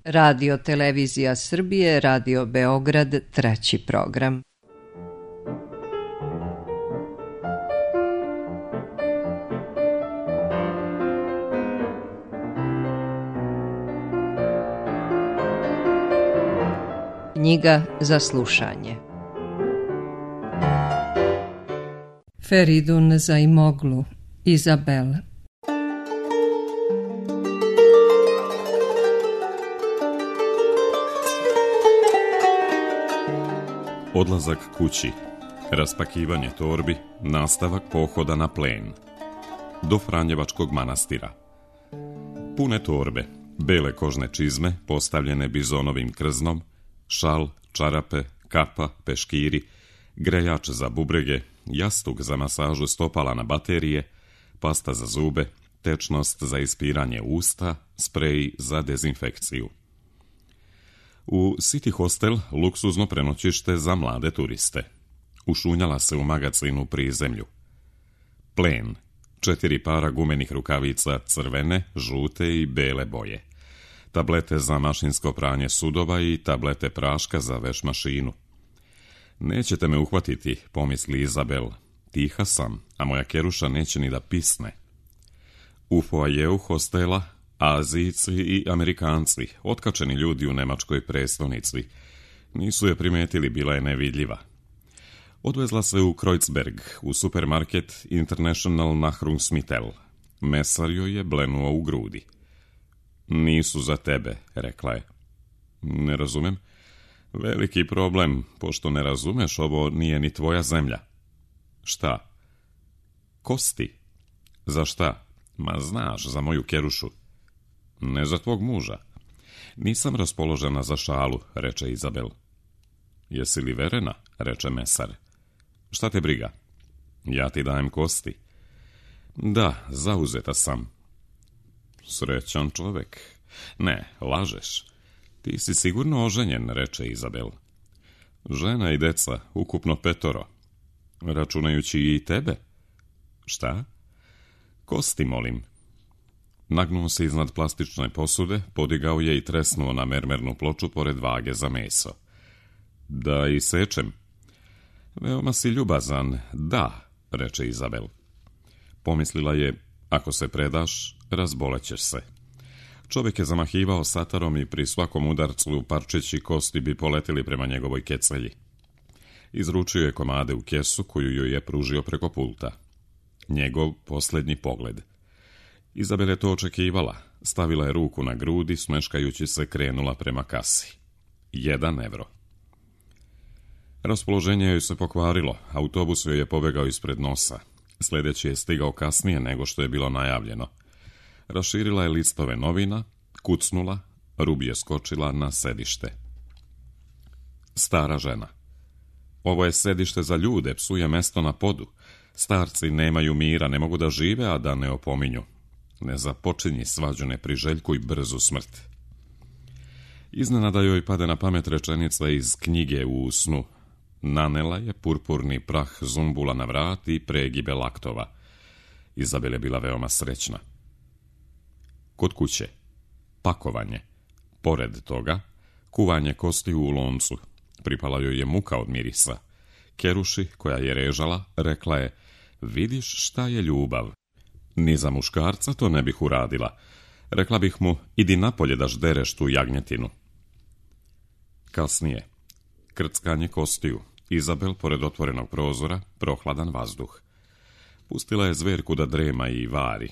Radio Televizija Srbije, Radio Beograd, 3. program. Knjiga za slušanje. Feridun Zaimoglu, Izabel. Odlazak kući, raspakivanje torbi, nastavak pohoda na plen. Do Franjevačkog manastira. Pune torbe, bele kožne čizme postavljene bizonovim krznom, šal, čarape, kapa, peškiri, grejač za bubrege, jastuk za masažu stopala na baterije, pasta za zube, tečnost za ispiranje usta, sprej za dezinfekciju. U City Hostel luksuzno prenoćište za mlade turiste. Ušunjala se u magacinu prizemlju. Plen, 4 para gumenih rukavica crvene, žute i bele boje. Tablete za mašinsko pranje sudova i tablete praška za veš mašinu. Nećete me uhvatiti, pomisli Izabel. Tiha sam, a moja keruša neće ni da pisne. U foajeu hostela Azijci i Amerikanci, otkačeni ljudi u nemačkoj prestonici. Nisu je primetili, bila je nevidljiva. Odvezla se u Kreuzberg, u supermarket International Nahrungsmittel. Mesar joj je blenuo u grudi. Nisu za tebe, rekla je. Ne razumem. Veliki problem, pošto ne razumeš, ovo nije ni tvoja zemlja. Šta? Kosti. Za šta? Ma znaš, za moju kerušu. Ne za tvog muža. Nisam raspoložena za šalu, reče Izabel. Jesi li verena, reče mesar. Šta te briga? Ja ti dajem kosti. Da, zauzeta sam. Srećan čovek. Ne, lažeš. Ti si sigurno oženjen, reče Izabel. Žena i deca, ukupno 5, računajući i tebe. Šta? Kosti, molim. Nagnuo se iznad plastične posude, podigao je i tresnuo na mermernu ploču pored vage za meso. Da i sečem. Veoma si ljubazan, da, reče Izabel. Pomislila je, ako se predaš, razbolećeš se. Čovjek je zamahivao satarom i pri svakom udarcu parčeći kosti bi poletili prema njegovoj kecelji. Izručio je komade u kesu koju joj je pružio preko pulta. Njegov posljednji pogled. Izabel je to očekivala. Stavila je ruku na grudi, smeškajući se krenula prema kasi. 1 evro. Raspoloženje joj se pokvarilo. Autobus joj je pobegao ispred nosa. Sljedeći je stigao kasnije nego što je bilo najavljeno. Raširila je listove novina, kucnula, Rubi je skočila na sedište. Stara žena. Ovo je sedište za ljude, psuje mesto na podu. Starci nemaju mira, ne mogu da žive, a da ne opominju. Ne započinji svađu, ne priželjkuj brzu smrt. Iznenada joj pade na pamet rečenica iz knjige u snu. Nanela je purpurni prah zumbula na vrat i pregibe laktova. Izabel je bila veoma srećna. Kod kuće. Pakovanje. Pored toga, kuvanje kostiju u loncu. Pripala joj je muka od mirisa. Keruši, koja je režala, rekla je, vidiš šta je ljubav. Ni za muškarca to ne bih uradila. Rekla bih mu, idi napolje da ždereš tu jagnjetinu. Kasnije. Krckanje kostiju. Izabel pored otvorenog prozora, prohladan vazduh. Pustila je zverku da drema i vari.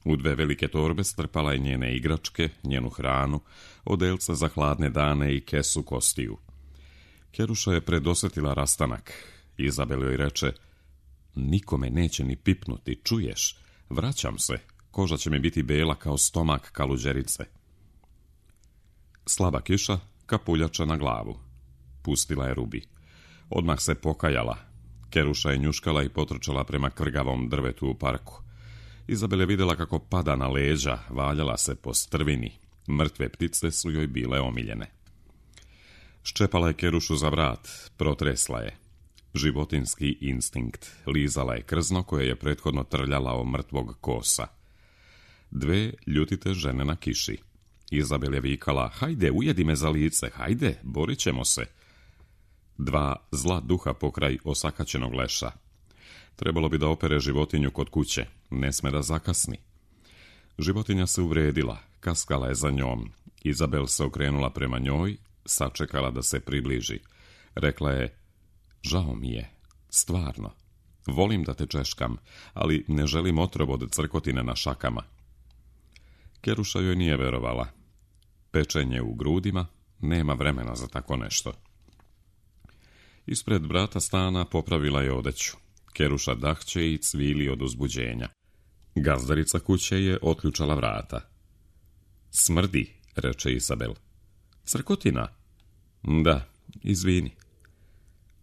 U 2 velike torbe strpala je njene igračke, njenu hranu, odelca za hladne dane i kesu kostiju. Keruša je predosjetila rastanak. Izabel joj reče, nikome neće ni pipnuti, čuješ? Vraćam se, koža će mi biti bela kao stomak kaluđerice. Slaba kiša, kapuljača na glavu. Pustila je Rubi. Odmah se pokajala. Keruša je njuškala i potrčala prema krgavom drvetu u parku. Izabel je vidjela kako pada na leđa, valjala se po strvini. Mrtve ptice su joj bile omiljene. Ščepala je Kerušu za vrat, protresla je. Životinski instinkt. Lizala je krzno koje je prethodno trljala o mrtvog kosa. 2 ljutite žene na kiši. Izabel je vikala: hajde, ujedi me za lice, hajde, borit ćemo se. 2 zla duha pokraj osakaćenog leša. Trebalo bi da opere životinju kod kuće, ne sme da zakasni. Životinja se uvredila, kaskala je za njom. Izabel se okrenula prema njoj, sačekala da se približi. Rekla je: žao mi je, stvarno. Volim da te češkam, ali ne želim otrov od crkotine na šakama. Keruša joj nije verovala. Pečenje u grudima, nema vremena za tako nešto. Ispred vrata stana popravila je odeću. Keruša dahće i cvili od uzbuđenja. Gazdarica kuće je otključala vrata. Smrdi, reče Izabel. Crkotina? Da, izvini.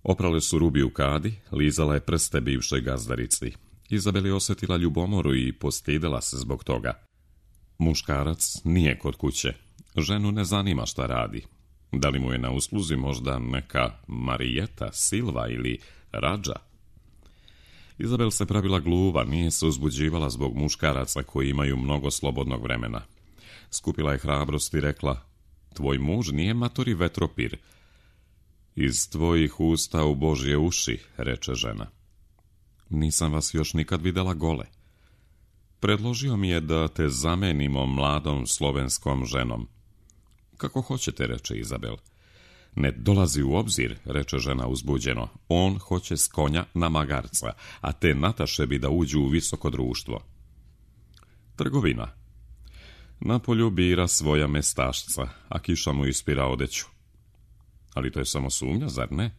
Oprale su rubi u kadi, lizala je prste bivšoj gazdarici. Izabel je osjetila ljubomoru i postidela se zbog toga. Muškarac nije kod kuće. Ženu ne zanima šta radi. Da li mu je na usluzi možda neka Marijeta, Silva ili Radža? Izabel se pravila gluva, nije se uzbuđivala zbog muškaraca koji imaju mnogo slobodnog vremena. Skupila je hrabrost i rekla: tvoj muž nije matori vetropir. Iz tvojih usta u Božje uši, reče žena. Nisam vas još nikad videla gole. Predložio mi je da te zamenimo mladom slovenskom ženom. Kako hoćete, reče Izabel. Ne dolazi u obzir, reče žena uzbuđeno. On hoće s konja na magarca, a te Nataše bi da uđu u visoko društvo. Trgovina. Napolju bira svoja mestašca, a kiša mu ispira odeću. Ali to je samo sumnja, zar ne?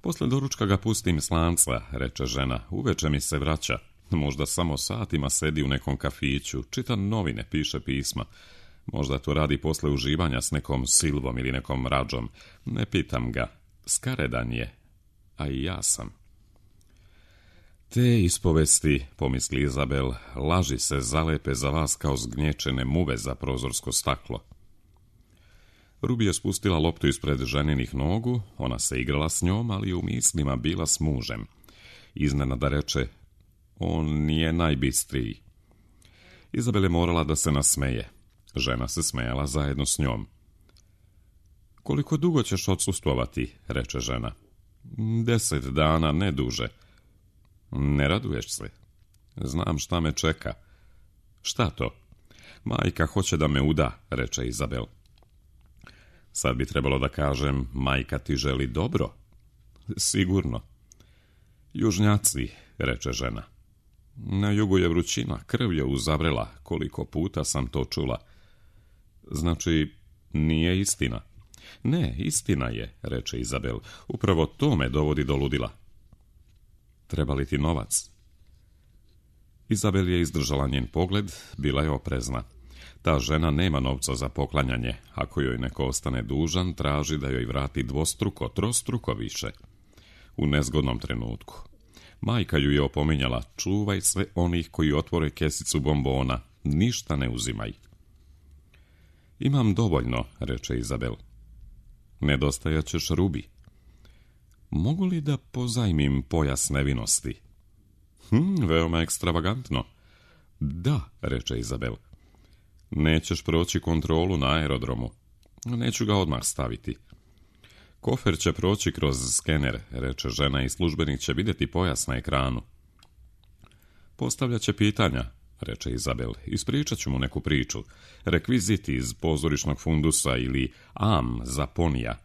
Posle doručka ga pustim s lanca, reče žena. Uveče mi se vraća. Možda samo satima sedi u nekom kafiću, čita novine, piše pisma. Možda to radi posle uživanja s nekom Silvom ili nekom Radžom. Ne pitam ga. Skaredan je. A i ja sam. Te ispovesti, pomisli Izabel, laži se zalepe za vas kao zgnječene muve za prozorsko staklo. Rubi je spustila loptu ispred ženinih nogu, ona se igrala s njom, ali u mislima bila s mužem. Iznenada reče: on nije najbistriji. Izabel je morala da se nasmeje. Žena se smejala zajedno s njom. Koliko dugo ćeš odsustvovati, reče žena. 10 dana, ne duže. Ne raduješ se? Znam šta me čeka. Šta to? Majka hoće da me uda, reče Izabel. Sad bi trebalo da kažem: majka ti želi dobro. Sigurno. Južnjaci, reče žena. Na jugu je vrućina, krv je uzavrela, koliko puta sam to čula. Znači, nije istina. Ne, istina je, reče Izabel. Upravo to me dovodi do ludila. Treba li ti novac? Izabel je izdržala njen pogled, bila je oprezna. Ta žena nema novca za poklanjanje. Ako joj neko ostane dužan, traži da joj vrati dvostruko, trostruko više. U nezgodnom trenutku. Majka ju je opominjala: čuvaj sve onih koji otvore kesicu bombona, ništa ne uzimaj. Imam dovoljno, reče Izabel. Nedostajat ćeš rubi. Mogu li da pozajmim pojas nevinosti? Veoma ekstravagantno. Da, reče Izabel. Nećeš proći kontrolu na aerodromu. Neću ga odmah staviti. Kofer će proći kroz skener, reče žena, i službenik će vidjeti pojas na ekranu. Postavljat će pitanja, reče Izabel. Ispričat ću mu neku priču. Rekviziti iz pozorišnog fundusa ili am za ponija.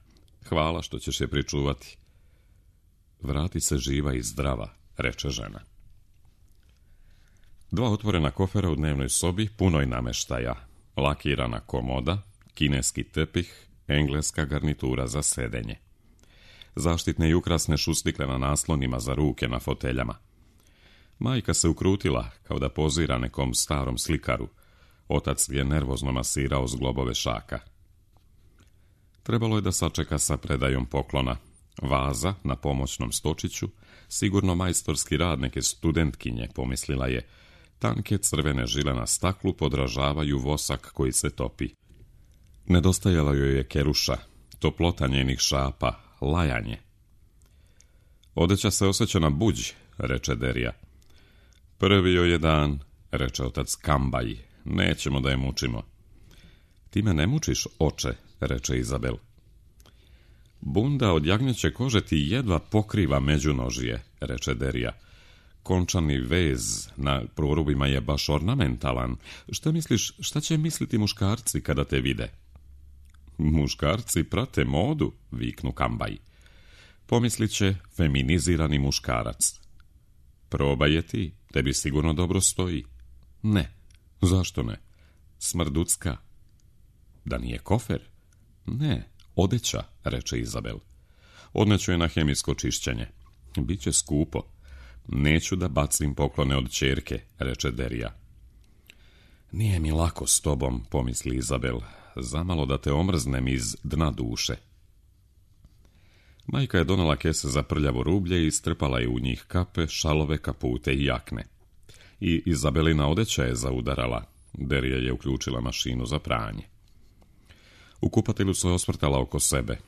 Hvala što ćeš je pričuvati. Vrati se živa i zdrava, reče žena. 2 otvorena kofera u dnevnoj sobi, punoj nameštaja. Lakirana komoda, kineski tepih, engleska garnitura za sedenje. Zaštitne i ukrasne šustikle na naslonima za ruke na foteljama. Majka se ukrutila kao da pozira nekom starom slikaru. Otac je nervozno masirao zglobove šaka. Trebalo je da sačeka sa predajom poklona. Vaza na pomoćnom stočiću, sigurno majstorski rad neke studentkinje, pomislila je. Tanke crvene žile na staklu podražavaju vosak koji se topi. Nedostajala joj je keruša, toplota njenih šapa, lajanje. Odeća se osjeća na buđ, reče Derija. Prvi joj je dan, reče otac Kambaj, nećemo da je mučimo. Ti me ne mučiš, oče, reče Izabel. Bunda od jagnjeće kože ti jedva pokriva međunožje, reče Derija. Končani vez na prorubima je baš ornamentalan. Šta misliš, šta će misliti muškarci kada te vide? Muškarci prate modu, viknu Kambaj. Pomislit će feminizirani muškarac. Probaj je ti, tebi sigurno dobro stoji. Ne, zašto ne? Smrducka. Da nije kofer? Ne, odeća, reče Izabel. Odneću je na hemijsko čišćenje. Biće skupo. Neću da bacim poklone od ćerke, reče Derija. Nije mi lako s tobom, pomisli Izabel, zamalo da te omrznem iz dna duše. Majka je donela kese za prljavo rublje i strpala je u njih kape, šalove, kapute i jakne. I Izabelina odeća je zaudarala. Derija je uključila mašinu za pranje. U kupatilu se osvrtala oko sebe.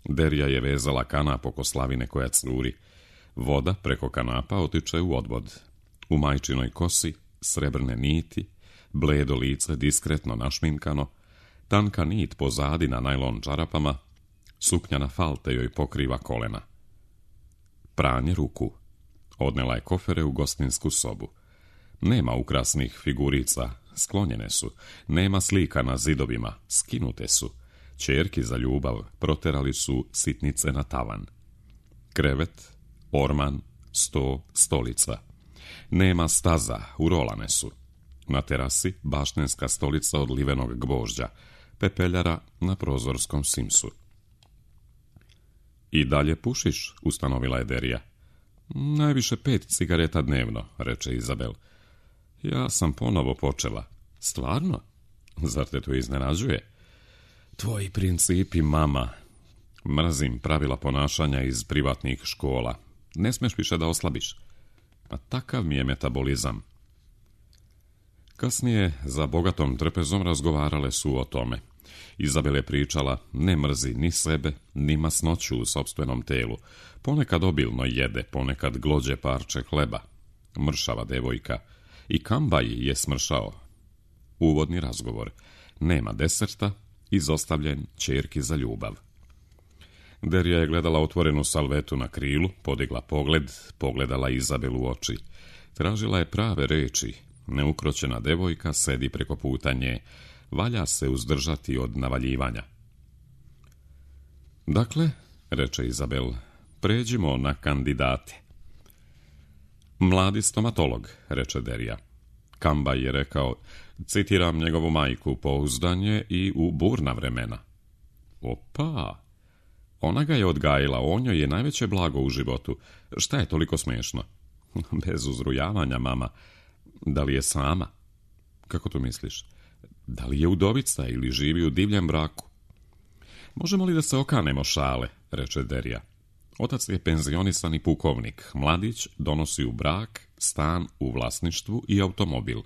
Derija je vezala kanap oko slavine koja curi. Voda preko kanapa otiče u odvod. U majčinoj kosi srebrne niti, bledo lice diskretno našminkano, tanka nit pozadi na najlon čarapama, suknjana falte joj pokriva kolena. Pranje ruku. Odnela je kofere u gostinsku sobu. Nema ukrasnih figurica, sklonjene su. Nema slika na zidovima, skinute su. Ćerki za ljubav proterali su sitnice na tavan. Krevet, orman, sto, stolica. Nema staza, urolane su. Na terasi baštenska stolica od livenog gvožđa, pepeljara na prozorskom simsu. I dalje pušiš, ustanovila je Derija. Najviše 5 cigareta dnevno, reče Izabel. Ja sam ponovo počela. Stvarno? Zar te to iznenađuje? Tvoji principi, mama. Mrzim pravila ponašanja iz privatnih škola. Ne smeš više da oslabiš. Pa takav mi je metabolizam. Kasnije, za bogatom trpezom razgovarale su o tome. Izabel je pričala, ne mrzi ni sebe, ni masnoću u sopstvenom telu. Ponekad obilno jede, ponekad glođe parče hleba. Mršava devojka. I Kambaj je smršao. Uvodni razgovor. Nema deserta, izostavljen ćerki za ljubav. Derija je gledala otvorenu salvetu na krilu, podigla pogled, pogledala Izabel u oči. Tražila je prave reči. Neukroćena devojka sedi preko puta nje. Valja se uzdržati od navaljivanja. Dakle, reče Izabel, pređimo na kandidate. Mladi stomatolog, reče Derija. Kambaj je rekao, citiram njegovu majku, pouzdanje i u burna vremena. Opa! Ona ga je odgajila, on joj je najveće blago u životu. Šta je toliko smiješno? Bez uzrujavanja, mama. Da li je sama? Kako to misliš? Da li je udovica ili živi u divljem braku? Možemo li da se okanemo šale, reče Derija. Otac je penzionisani pukovnik. Mladić donosi u brak, stan u vlasništvu i automobil.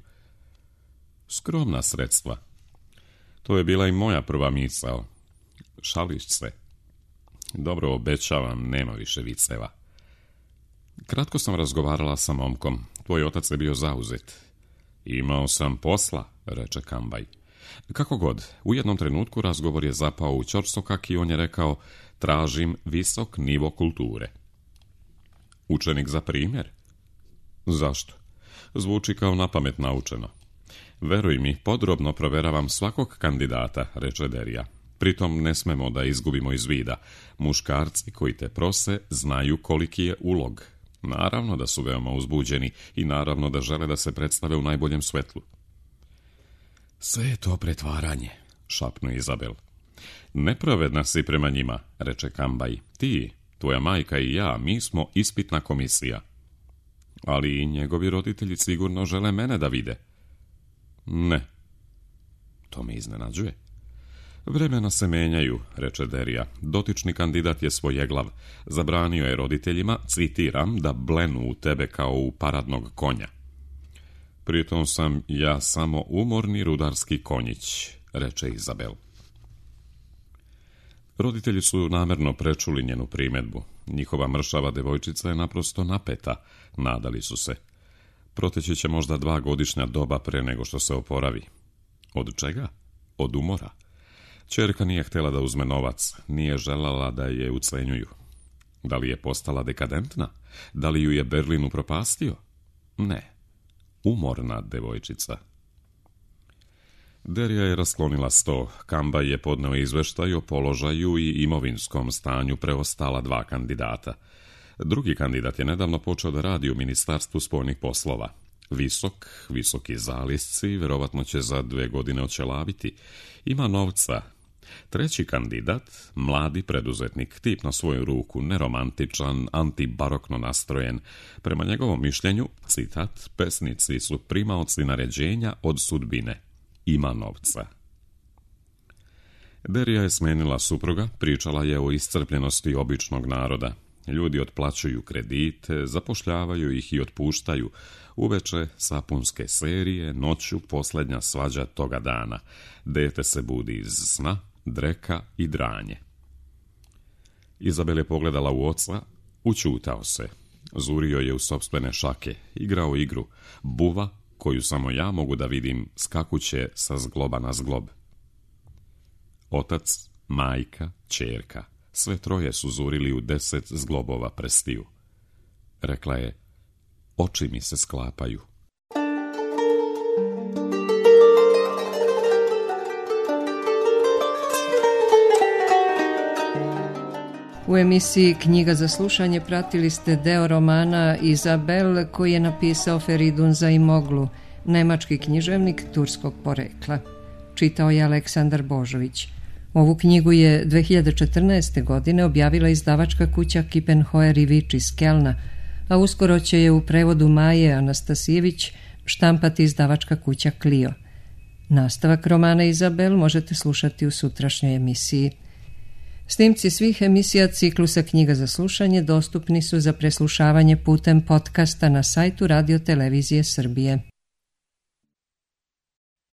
Skromna sredstva. To je bila i moja prva misao. Šališ se. Dobro, obećavam, nema više viceva. Kratko sam razgovarala sa momkom. Tvoj otac je bio zauzet. Imao sam posla, reče Kambaj. Kako god, u jednom trenutku razgovor je zapao u ćorsokak i on je rekao, tražim visok nivo kulture. Učenik za primjer? Zašto? Zvuči kao napamet naučeno. Veruj mi, podrobno proveravam svakog kandidata, reče Derija. Pritom ne smemo da izgubimo iz vida. Muškarci koji te prose znaju koliki je ulog. Naravno da su veoma uzbuđeni i naravno da žele da se predstave u najboljem svetlu. Sve je to pretvaranje, šapnu Izabel. Nepravedna si prema njima, reče Kambaj. Ti, tvoja majka i ja, mi smo ispitna komisija. Ali i njegovi roditelji sigurno žele mene da vide. Ne. To me iznenađuje. Vremena se menjaju, reče Derija. Dotični kandidat je svojeglav. Zabranio je roditeljima, citiram, da blenu u tebe kao u paradnog konja. Pritom sam ja samo umorni rudarski konjić, reče Izabel. Roditelji su namerno prečuli njenu primjedbu. Njihova mršava devojčica je naprosto napeta, nadali su se. Proteći će možda 2 godišnja doba pre nego što se oporavi. Od čega? Od umora. Ćerka nije htjela da uzme novac, nije želala da je ucenjuju. Da li je postala dekadentna? Da li ju je Berlin upropastio? Ne. Umorna devojčica. Derija je rasklonila sto. Kambaj je podneo izveštaj o položaju i imovinskom stanju preostala 2 kandidata. Drugi kandidat je nedavno počeo da radi u Ministarstvu spoljnih poslova. Visoki zalisci, verovatno će za 2 godine očelaviti. Ima novca. Treći kandidat, mladi preduzetnik, tip na svoju ruku, neromantičan, antibarokno nastrojen. Prema njegovom mišljenju, citat, pesnici su primaoci naređenja od sudbine. Ima novca. Derija je smenila supruga, pričala je o iscrpljenosti običnog naroda. Ljudi otplaćuju kredite, zapošljavaju ih i otpuštaju. Uveče sapunske serije, noću posljednja svađa toga dana. Dete se budi iz sna, dreka i dranje. Izabel je pogledala u oca, učutao se. Zurio je u sopstvene šake, igrao igru. Buva, koju samo ja mogu da vidim, skakuće sa zgloba na zglob. Otac, majka, ćerka, sve troje su zurili u 10 zglobova prstiju. Rekla je, oči mi se sklapaju. U emisiji Knjiga za slušanje pratili ste deo romana Izabel koji je napisao Feridun Zaimoglu, nemački književnik turskog porekla. Čitao je Aleksandar Božović. Ovu knjigu je 2014. godine objavila izdavačka kuća Kippenheuer i Vič iz Kelna, a uskoro će je u prevodu Maje Anastasijević štampati izdavačka kuća Clio. Nastavak romana Izabel možete slušati u sutrašnjoj emisiji. Snimci svih emisija ciklusa Knjiga za slušanje dostupni su za preslušavanje putem podcasta na sajtu Radio Televizije Srbije.